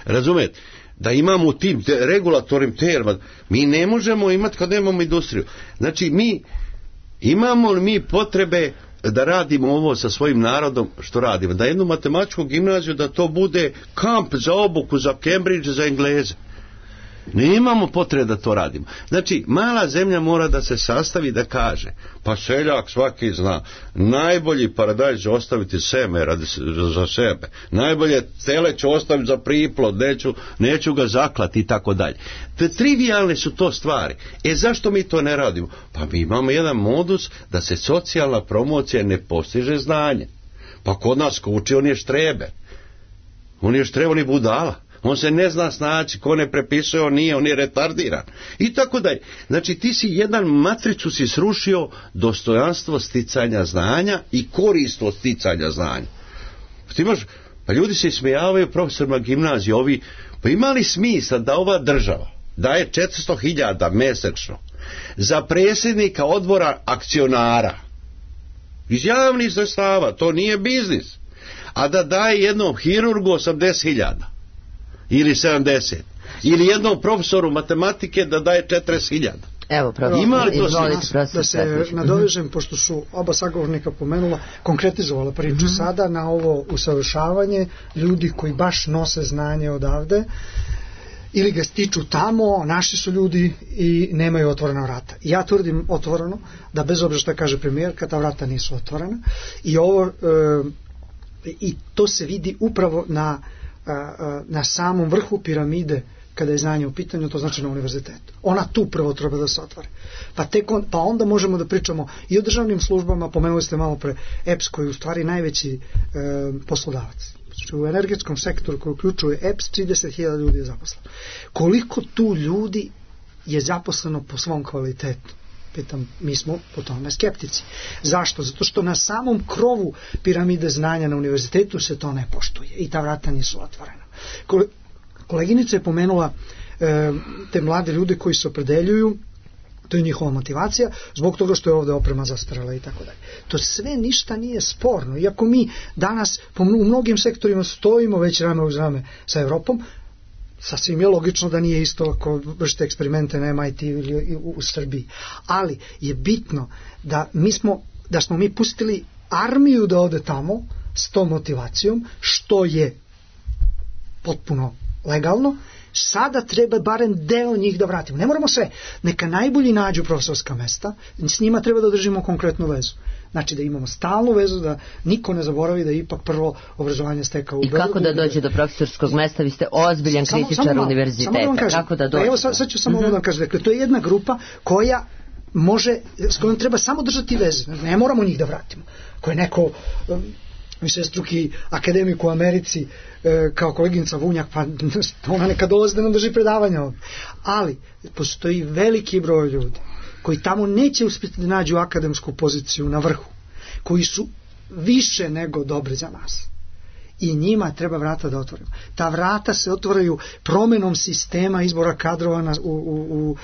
Razumete? Da imamo u tim te, regulatornim terma, mi ne možemo imati kad nemamo industriju. Znači mi imamo li mi potrebe da radimo ovo sa svojim narodom što radimo, da jednu matematičku gimnaziju da to bude kamp za obuku za Cambridge, za Engleze. Ne imamo potrebe da to radimo. Znači, mala zemlja mora da se sastavi da kaže, pa seljak svaki zna, najbolji paradajz će ostaviti seme radi, za sebe, najbolje tele će ostaviti za priplod, neću, neću ga zaklati i tako dalje. Te trivialne su to stvari. E zašto mi to ne radimo? Pa mi imamo jedan modus da se socijalna promocija ne postiže znanje. Pa kod nas ko uči, on je štrebe. On je štrebe, on je budala. On se ne zna snaći, ko ne prepisuje, on nije, on je retardiran. I tako dalje. Znači ti si jedan matricu si srušio dostojanstvo sticanja znanja i koristnost sticanja znanja. Ti imaš, pa ljudi se ismijavaju profesorima gimnazije, ovi, pa ima li smisla da ova država daje četiristo hiljada mesečno za predsjednika odbora akcionara iz javnih sredstava, to nije biznis, a da daje jednom hirurgu osamdeset hiljada ili sedamdeset, ili jednom profesoru matematike da daje četrdeset hiljada. Evo, profesor, ima li to izvolite, da, da se nadovežem, pošto su oba sagovornika pomenula, konkretizovala priču mm-hmm. sada na ovo usavršavanje ljudi koji baš nose znanje odavde ili ga stiču tamo, naši su ljudi i nemaju otvorena vrata. Ja tvrdim otvoreno da bez obzira što kaže premijerka, ta vrata nisu otvorena i ovo e, i to se vidi upravo na na samom vrhu piramide kada je znanje u pitanju, to znači na univerzitetu. Ona tu prvo treba da se otvore. Pa, tek on, pa onda možemo da pričamo i o državnim službama, pomenuli ste malo pre E P S koji je u stvari najveći e, poslodavac. Znači, u energetskom sektoru koji uključuje E P S trideset hiljada ljudi je zaposleno. Koliko tu ljudi je zaposleno po svom kvalitetu? Pitam, mi smo po tome skeptici. Zašto? Zato što na samom krovu piramide znanja na univerzitetu se to ne poštuje i ta vrata nisu otvorena. Koleginica je pomenula e, te mlade ljude koji se opredeljuju, to je njihova motivacija, zbog toga što je ovdje oprema zastarela i tako dalje. To sve ništa nije sporno. Iako mi danas po, u mnogim sektorima stojimo već rame uz rame sa Evropom, sasvim je logično da nije isto ako vršite eksperimente na M I T ili u, u Srbiji. Ali je bitno da mi smo, da smo mi pustili armiju da ode tamo s tom motivacijom, što je potpuno legalno. Sada treba barem deo njih da vratimo. Ne moramo sve. Neka najbolji nađu profesorska mesta, s njima treba da držimo konkretnu vezu. Znači da imamo stalnu vezu, da niko ne zaboravi da je ipak prvo obrazovanje stekao u Beogradu. I kako da dođe do profesorskog mesta? Vi ste ozbiljan samo, kritičar samo, univerziteta. Samo da kažem, kako da dođe? Evo sad, sad ću samo mm-hmm. da kažem. Dakle, to je jedna grupa koja može, s kojom treba samo držati veze. Ne moramo njih da vratimo. Ko je neko višestruki akademik u Americi, e, kao koleginica Vunjak, pa ona neka dolazi da nam drži predavanja ovdje. Ali postoji veliki broj ljudi koji tamo neće uspjeti da nađu akademsku poziciju na vrhu, koji su više nego dobri za nas. i njima treba vrata da otvorimo. Ta vrata se otvaraju promenom sistema izbora kadrova na, u, u, u,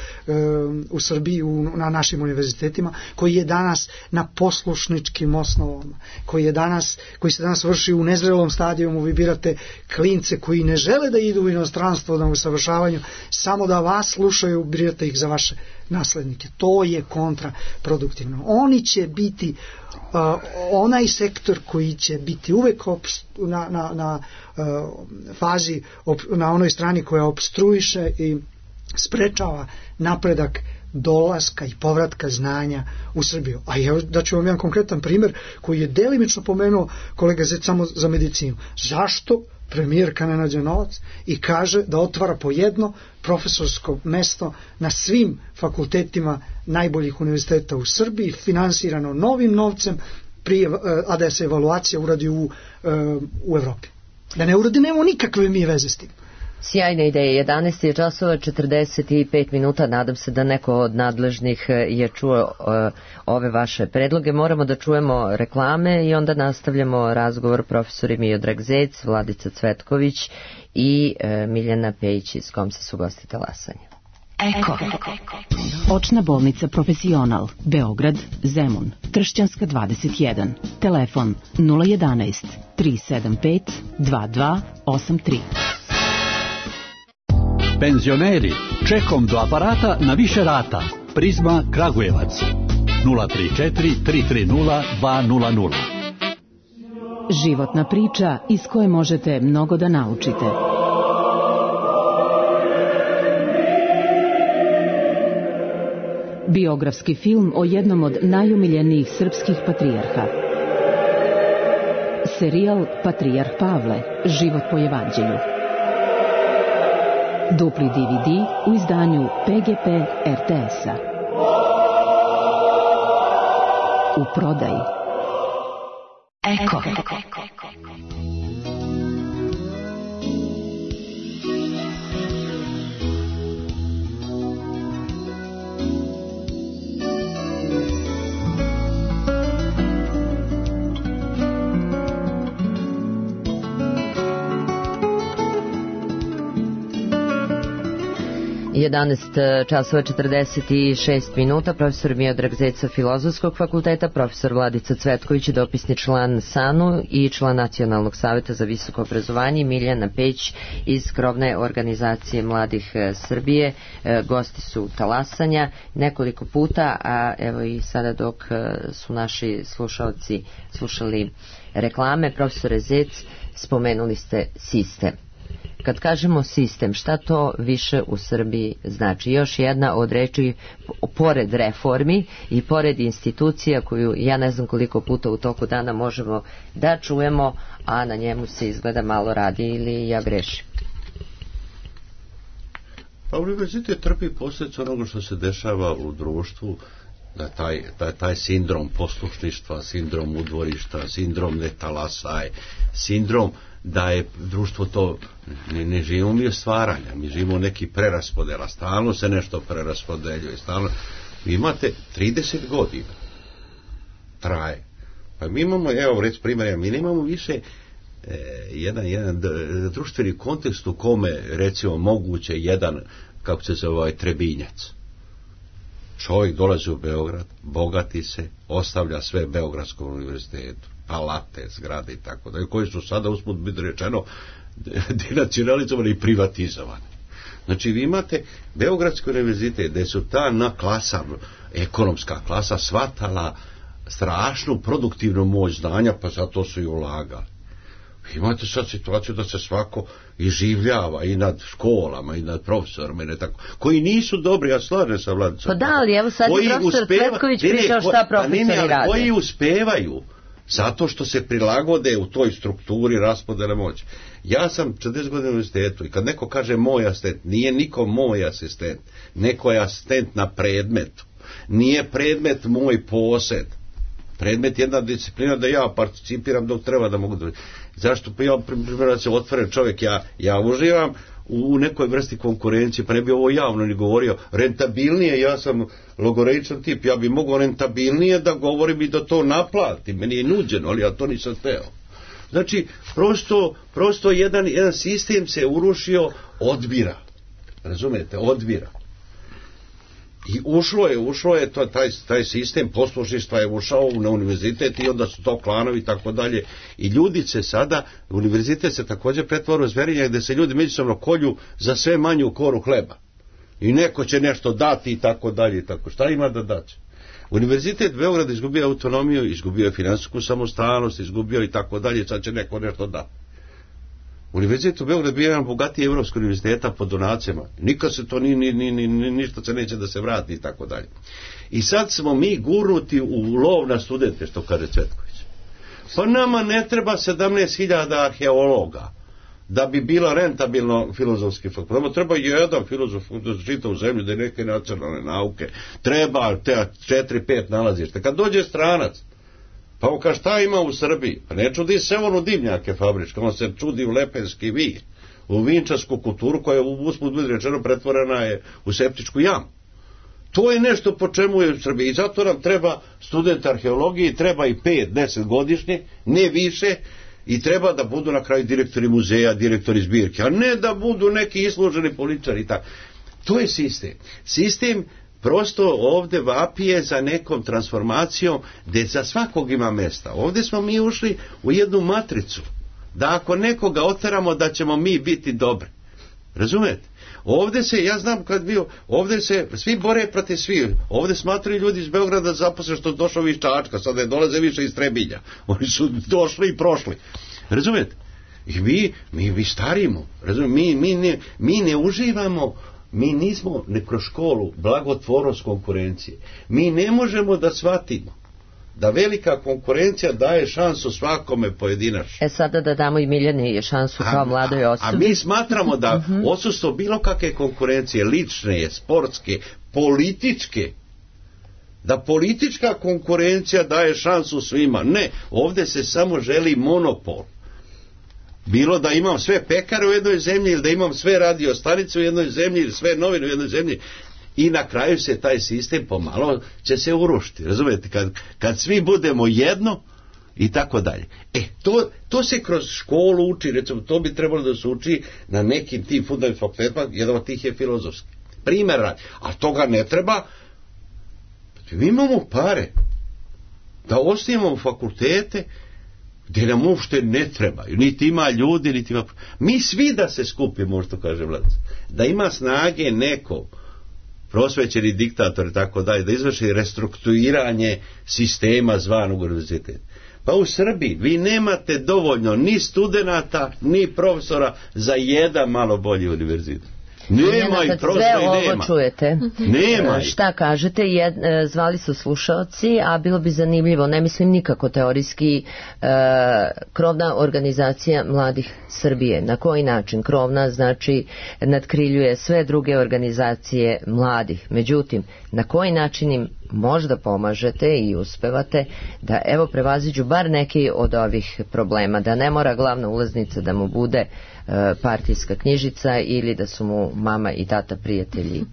u Srbiji, u, na našim univerzitetima, koji je danas na poslušničkim osnovama, koji, je danas, koji se danas vrši u nezrelom stadijumu. Vi birate klince koji ne žele da idu u inostranstvo na usavršavanju, samo da vas slušaju, birate ih za vaše naslednike. To je kontraproduktivno. Oni će biti uh, onaj sektor koji će biti uvek obst- na, na, na uh, fazi, op, na onoj strani koja obstruiše i sprečava napredak dolaska i povratka znanja u Srbiju. A ja da ću vam jedan konkretan primjer koji je delimično pomenuo kolega Zec samo za medicinu. Zašto premijerka ne nađe novac i kaže da otvara po jedno profesorsko mesto na svim fakultetima najboljih univerziteta u Srbiji, finansirano novim novcem, prije, a da se evaluacija uradi u, u Evropi. Da ne uradi, nemamo nikakve mi veze s tim. Sjajna ideja. jedanaest je časova četrdeset pet minuta. Nadam se da neko od nadležnih je čuo uh, ove vaše predloge. Moramo da čujemo reklame i onda nastavljamo razgovor. Profesori Miodrag Zec, Vladica Cvetković i uh, Miljana Pejić iz Komsa su gosti talasanja. Eko. Očna bolnica Profesional, Beograd, Zemun, Tršćanska dvadeset jedan. Telefon nula jedanaest tri sedam pet dva dva osam tri. Penzioneri, čekom do aparata na više rata. Prizma Kragujevac nula tri četiri tri tri nula dva nula nula. Životna priča iz koje možete mnogo da naučite. Biografski film o jednom od najumiljenijih srpskih patrijarha. Serijal Patrijarh Pavle, život po evanđelju. Dupli D V D u izdanju P G P R T S-a. U prodaji. Eko. jedanaest časova četrdeset šest minuta. Profesor Miodrag Zec sa Filozofskog fakulteta, profesor Vladica Cvetković, dopisni član S A N U i član Nacionalnog saveta za visoko obrazovanje, Miljana Pejić iz krovne organizacije Mladih Srbije. Gosti su talasanja nekoliko puta, a evo i sada dok su naši slušalci slušali reklame, profesore Zec, spomenuli ste sistem. Kad kažemo sistem, šta to više u Srbiji znači? Još jedna od reči, pored reformi i pored institucija koju ja ne znam koliko puta u toku dana možemo da čujemo, a na njemu se izgleda malo radi, ili ja grešim? Pa univerzitet trpi posljedicu onoga što se dešava u društvu, da taj, taj, taj sindrom poslušništva, sindrom udvorišta, sindrom netalasaj, sindrom da je društvo to, ne, ne živimo mi od stvaranja, mi živimo neki preraspodela, stalno se nešto preraspodeljuje, stalno. Vi imate trideset godina traje, pa mi imamo, evo reći primjer, mi nemamo više e, jedan, jedan društveni kontekst u kome recimo moguće jedan, kako se zove, ovaj Trebinjac. Čovjek dolazi u Beograd, bogati se, ostavlja sve Beogradskom univerzitetu, palate, zgrade i tako da, koji su sada usput biti rečeno denacionalizovani i privatizovani. Znači vi imate Beogradski univerzitet gdje su ta na klasa, ekonomska klasa shvatala strašnu produktivnu moć znanja, pa zato su i ulagali. Imate sad situaciju da se svako iživljava i nad školama i nad profesorima i ne tako, koji nisu dobri, ja slažem sa Vladicom. Pa da, ali evo sad je profesor uspeva, Cvetković pričao šta profesori ne, ne, rade. Koji uspevaju zato što se prilagode u toj strukturi raspodele moći. Ja sam četrdeset godina u univerzitetu i kad neko kaže moj asistent, nije niko moj asistent, neko je asistent na predmetu, nije predmet moj posed. Predmet je jedna disciplina da ja participiram dok treba da mogu da... Zašto? Pa ja, primjer, da se otvoren čovjek, ja, ja uživam u nekoj vrsti konkurencije, pa ne bi ovo javno ni govorio. Rentabilnije, ja sam logoreičan tip, ja bi mogao rentabilnije da govorim i da to naplatim. Meni je nuđeno, ali ja to nisam teo. Znači, prosto, prosto jedan, jedan sistem se urušio, odbira. Razumete, odbira. I ušlo je, ušlo je to, taj, taj sistem poslušništva je ušao na univerzitet i onda su to klanovi i tako dalje. I ljudi se sada, univerzitet se također pretvara u zverinjak gdje se ljudi međusobno kolju za sve manju koru hleba. I neko će nešto dati i tako dalje i tako. Šta ima da daće? Univerzitet Beograd izgubio autonomiju, izgubio je finansijsku samostalnost, izgubio i tako dalje, sad će neko nešto dati. Univerzitet u Beogradu bio jedan bogatiji evropskog univerziteta po donacijama. Nikad se to ni, ni, ni, ni, ništa se neće da se vrati i tako dalje. I sad smo mi gurnuti u lov na studente, što kaže Cvetković. Pa nama ne treba sedamnaest hiljada arheologa da bi bila rentabilno filozofski fakultet. Nama treba jedan filozof da čita u zemlju, da je neke nacionalne nauke. Treba te četiri pet nalazište. Kad dođe stranac, pa on kaže šta ima u Srbiji? Pa ne čudi se on u dimnjake fabričke, on se čudi u lepenski vir, u vinčarsku kulturu koja u usput budi rečeno pretvorena je u septičku jamu. To je nešto po čemu je u Srbiji. I zato nam treba student arheologije, treba i pet, deset godišnje, ne više, i treba da budu na kraju direktori muzeja, direktori zbirke, a ne da budu neki isluženi političari i tako. To je sistem. Sistem prosto ovdje vapije za nekom transformacijom gdje za svakog ima mjesta. Ovdje smo mi ušli u jednu matricu, da ako nekoga oteramo da ćemo mi biti dobri. Razumete? Ovdje se, ja znam kad bio, ovdje se svi bore protiv svih. Ovdje smatraju ljudi iz Beograda zaposle što došao iz Čačka, sad ne dolaze više iz Trebinja. Oni su došli i prošli. Razumete? I mi, mi, mi starimo. Razumete? Mi, mi, ne, mi ne uživamo. Mi nismo ne kroz školu blagotvornost konkurencije. Mi ne možemo da shvatimo da velika konkurencija daje šansu svakome pojedinačno. E sada da damo i Miljani šansu kao mladoj osobi. A mi smatramo da uh-huh. odsustvo bilo kakve konkurencije, lične, sportske, političke, da politička konkurencija daje šansu svima. Ne, ovdje se samo želi monopol. Bilo da imam sve pekare u jednoj zemlji ili da imam sve radio stanice u jednoj zemlji ili sve novine u jednoj zemlji i na kraju se taj sistem pomalo će se urušiti. Razumijete? Kad, kad svi budemo jedno i tako dalje. E, to, to se kroz školu uči, recimo, to bi trebalo da se uči na nekim tim fundamentalnim fakultetima, jedan od tih je filozofski. Primer radi. A toga ne treba. Mi imamo pare da osnivamo fakultete gdje nam uopšte ne trebaju, niti ima ljudi, niti ima... Mi svi da se skupimo, što kaže Vladac, da ima snage neko, prosvećeni diktator i tako dalje, da izvrši restrukturiranje sistema zvanog univerziteta. Pa u Srbiji vi nemate dovoljno ni studenata, ni profesora za jedan malo bolji univerzitet. Nema i prosto i nema. Sve ovo čujete. Nema. Šta kažete? Jed, zvali su slušaoci, a bilo bi zanimljivo, ne mislim nikako teorijski, e, krovna organizacija mladih Srbije. Na koji način? Krovna znači nadkriljuje sve druge organizacije mladih. Međutim, na koji način im možda pomažete i uspevate da evo prevaziđu bar neki od ovih problema, da ne mora glavna ulaznica da mu bude e, partijska knjižica ili da su mu mama i tata prijatelji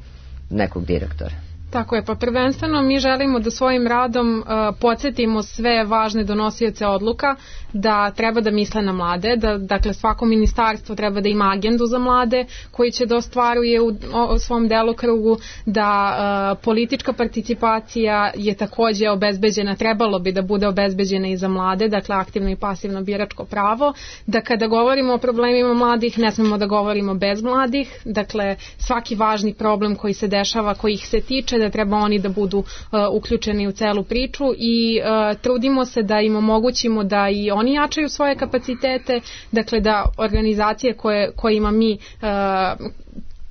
nekog direktora. Tako je, pa prvenstveno mi želimo da svojim radom uh, podsjetimo sve važne donosioce odluka da treba da misle na mlade, da dakle svako ministarstvo treba da ima agendu za mlade koji će da ostvaruje u, u svom delokrugu, da uh, politička participacija je takođe obezbeđena, trebalo bi da bude obezbeđena i za mlade, dakle aktivno i pasivno biračko pravo, da kada govorimo o problemima mladih ne smemo da govorimo bez mladih, dakle svaki važni problem koji se dešava, koji ih se tiče, da treba oni da budu uh, uključeni u celu priču i uh, trudimo se da im omogućimo da i oni jačaju svoje kapacitete, dakle da organizacije koje, kojima mi uh,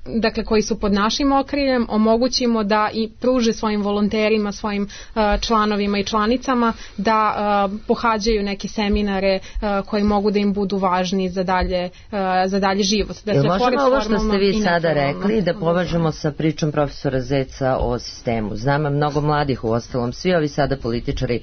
dakle koji su pod našim okriljem omogućimo da i pruže svojim volonterima, svojim uh, članovima i članicama da uh, pohađaju neke seminare uh, koji mogu da im budu važni za dalje, uh, za dalje život. Dakle, Jel možemo ovo što ste vi sada rekli da považemo sa pričom profesora Zeca o sistemu? Znam mnogo mladih, u ostalom svi ovi sada političari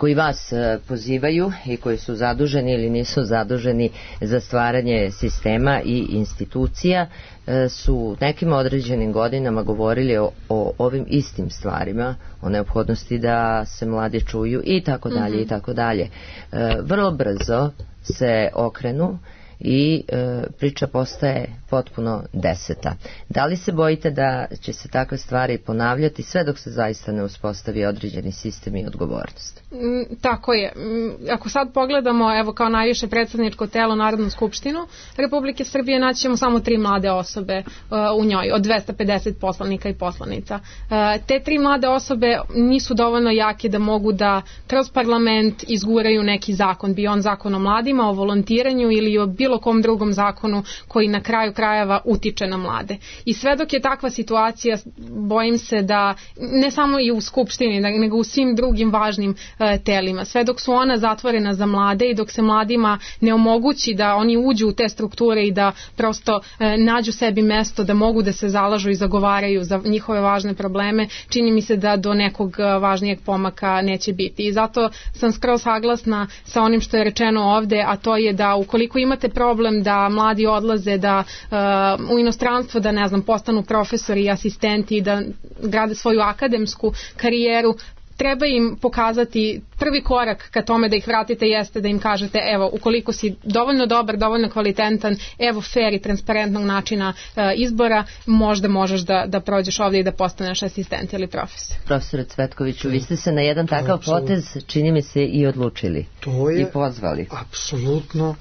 koji vas e, pozivaju i koji su zaduženi ili nisu zaduženi za stvaranje sistema i institucija e, su nekim određenim godinama govorili o, o ovim istim stvarima, o neophodnosti da se mladi čuju i tako dalje i tako dalje. E, vrlo brzo se okrenu i e, priča postaje potpuno deseta. Da li se bojite da će se takve stvari ponavljati sve dok se zaista ne uspostavi određeni sistem i odgovornost? Mm, tako je. Mm, ako sad pogledamo, evo kao najviše predstavničko telo Narodnu skupštinu Republike Srbije, naćemo samo tri mlade osobe uh, u njoj, od dvesta pedeset poslanika i poslanica. Uh, te tri mlade osobe nisu dovoljno jake da mogu da kroz parlament izguraju neki zakon, bio on zakon o mladima, o volontiranju ili o bilo kom drugom zakonu koji na kraju krajeva utiče na mlade. I sve dok je takva situacija, bojim se da ne samo i u Skupštini, nego u svim drugim važnim e, telima, sve dok su ona zatvorena za mlade i dok se mladima ne omogući da oni uđu u te strukture i da prosto e, nađu sebi mesto da mogu da se zalažu i zagovaraju za njihove važne probleme, čini mi se da do nekog važnijeg pomaka neće biti. I zato sam skroz saglasna sa onim što je rečeno ovde, a to je da ukoliko imate problem da mladi odlaze da uh, u inostranstvo, da ne znam, postanu profesori i asistenti, da grade svoju akademsku karijeru, treba im pokazati prvi korak ka tome da ih vratite jeste da im kažete evo, ukoliko si dovoljno dobar, dovoljno kvalitetan, evo fair i transparentnog načina uh, izbora, možda možeš da, da prođeš ovdje i da postaneš asistent ili profesor. Profesore Cvetkoviću, vi ste se na jedan takav potez, čini mi se, i odlučili. To je i pozvali. Apsolutno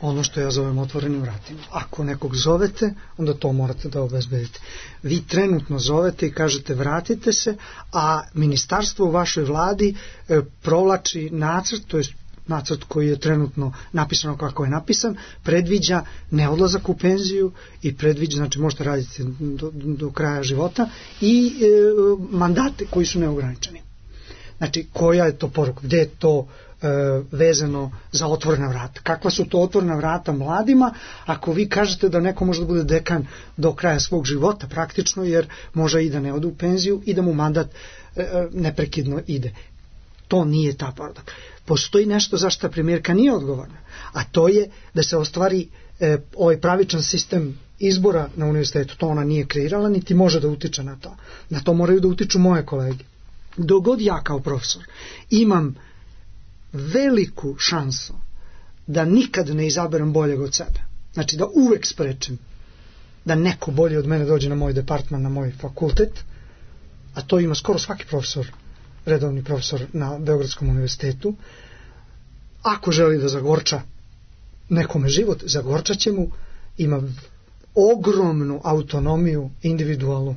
ono što ja zovem otvorenim vratima. Ako nekog zovete, onda to morate da obezbedite. Vi trenutno zovete i kažete vratite se, a ministarstvo u vašoj vladi e, provlači nacrt, to je nacrt koji je trenutno napisano kako je napisan, predviđa neodlazak u penziju i predviđa, znači možete raditi do, do kraja života i e, mandate koji su neograničeni. Znači, koja je to poruka? Gde je to vezano za otvorena vrata? Kakva su to otvorena vrata mladima ako vi kažete da neko može da bude dekan do kraja svog života praktično, jer može i da ne ode u penziju i da mu mandat neprekidno ide? To nije ta poruka. Postoji nešto za što premijerka nije odgovorna, a to je da se ostvari e, ovaj pravičan sistem izbora na univerzitetu. To ona nije kreirala, niti može da utiče na to. Na to moraju da utiču moje kolege. Dogod ja kao profesor imam veliku šansu da nikad ne izaberem boljeg od sebe, znači da uvek sprečim da neko bolje od mene dođe na moj departman, na moj fakultet, a to ima skoro svaki profesor, redovni profesor na Beogradskom univerzitetu. Ako želi da zagorča nekome život, zagorčat će mu, ima ogromnu autonomiju individualnu.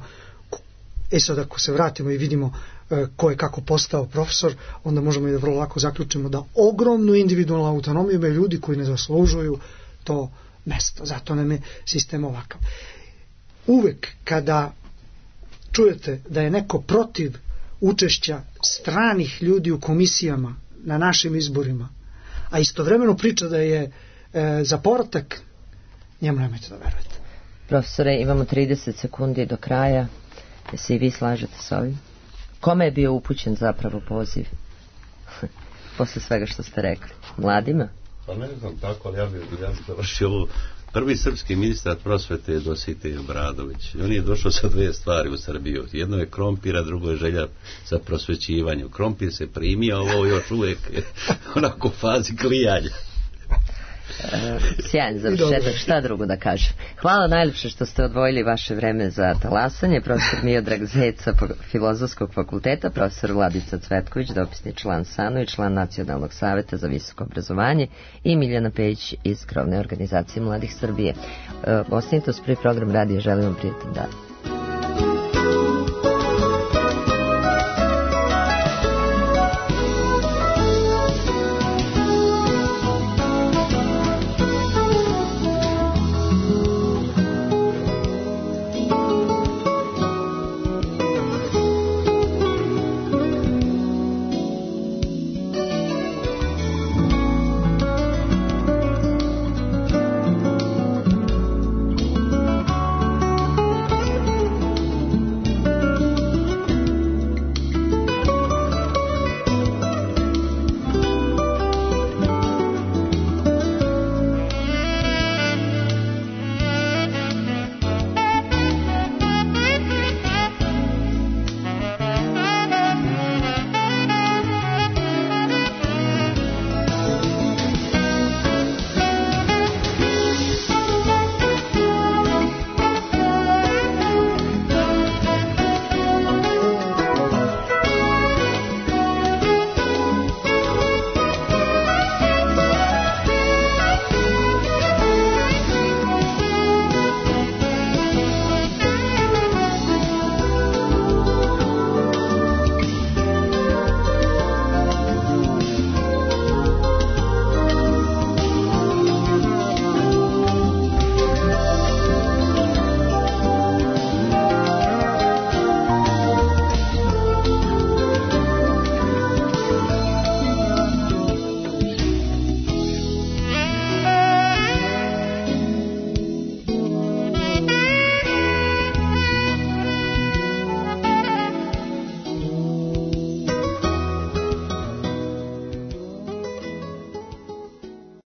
E sad ako se vratimo i vidimo ko je kako postao profesor, onda možemo i da vrlo lako zaključimo da ogromnu individualnu autonomiju imaju ljudi koji ne zaslužuju to mesto. Zato nam je sistem ovakav. Uvek kada čujete da je neko protiv učešća stranih ljudi u komisijama na našim izborima, a istovremeno priča da je e, za povratak, njemu nemojte da verujete. Profesore, imamo trideset sekundi do kraja. Da se i vi slažete s ovim? Kome je bio upućen zapravo poziv? Posle svega što ste rekli. Mladima? Pa ne znam tako, ali ja bih ja bi završio ovo. Prvi srpski ministar prosvete je Dositej Obradović. On je došao sa dve stvari u Srbiju. Jedno je krompir, a drugo je želja za prosvećivanje. Krompir se primio, ovo još uvijek je onako u fazi klijanja. Uh, sjajan završetak, šta drugo da kažem. Hvala najljepše što ste odvojili vaše vreme za talasanje. Profesor Miodrag Zec sa Filozofskog fakulteta, profesor Vladica Cvetković, dopisni član SANU i član Nacionalnog saveta za visoko obrazovanje, i Miljana Pejić iz krovne organizacije Mladih Srbije. Uh, ostanite uz prvi program radija, želim vam prijatan dan.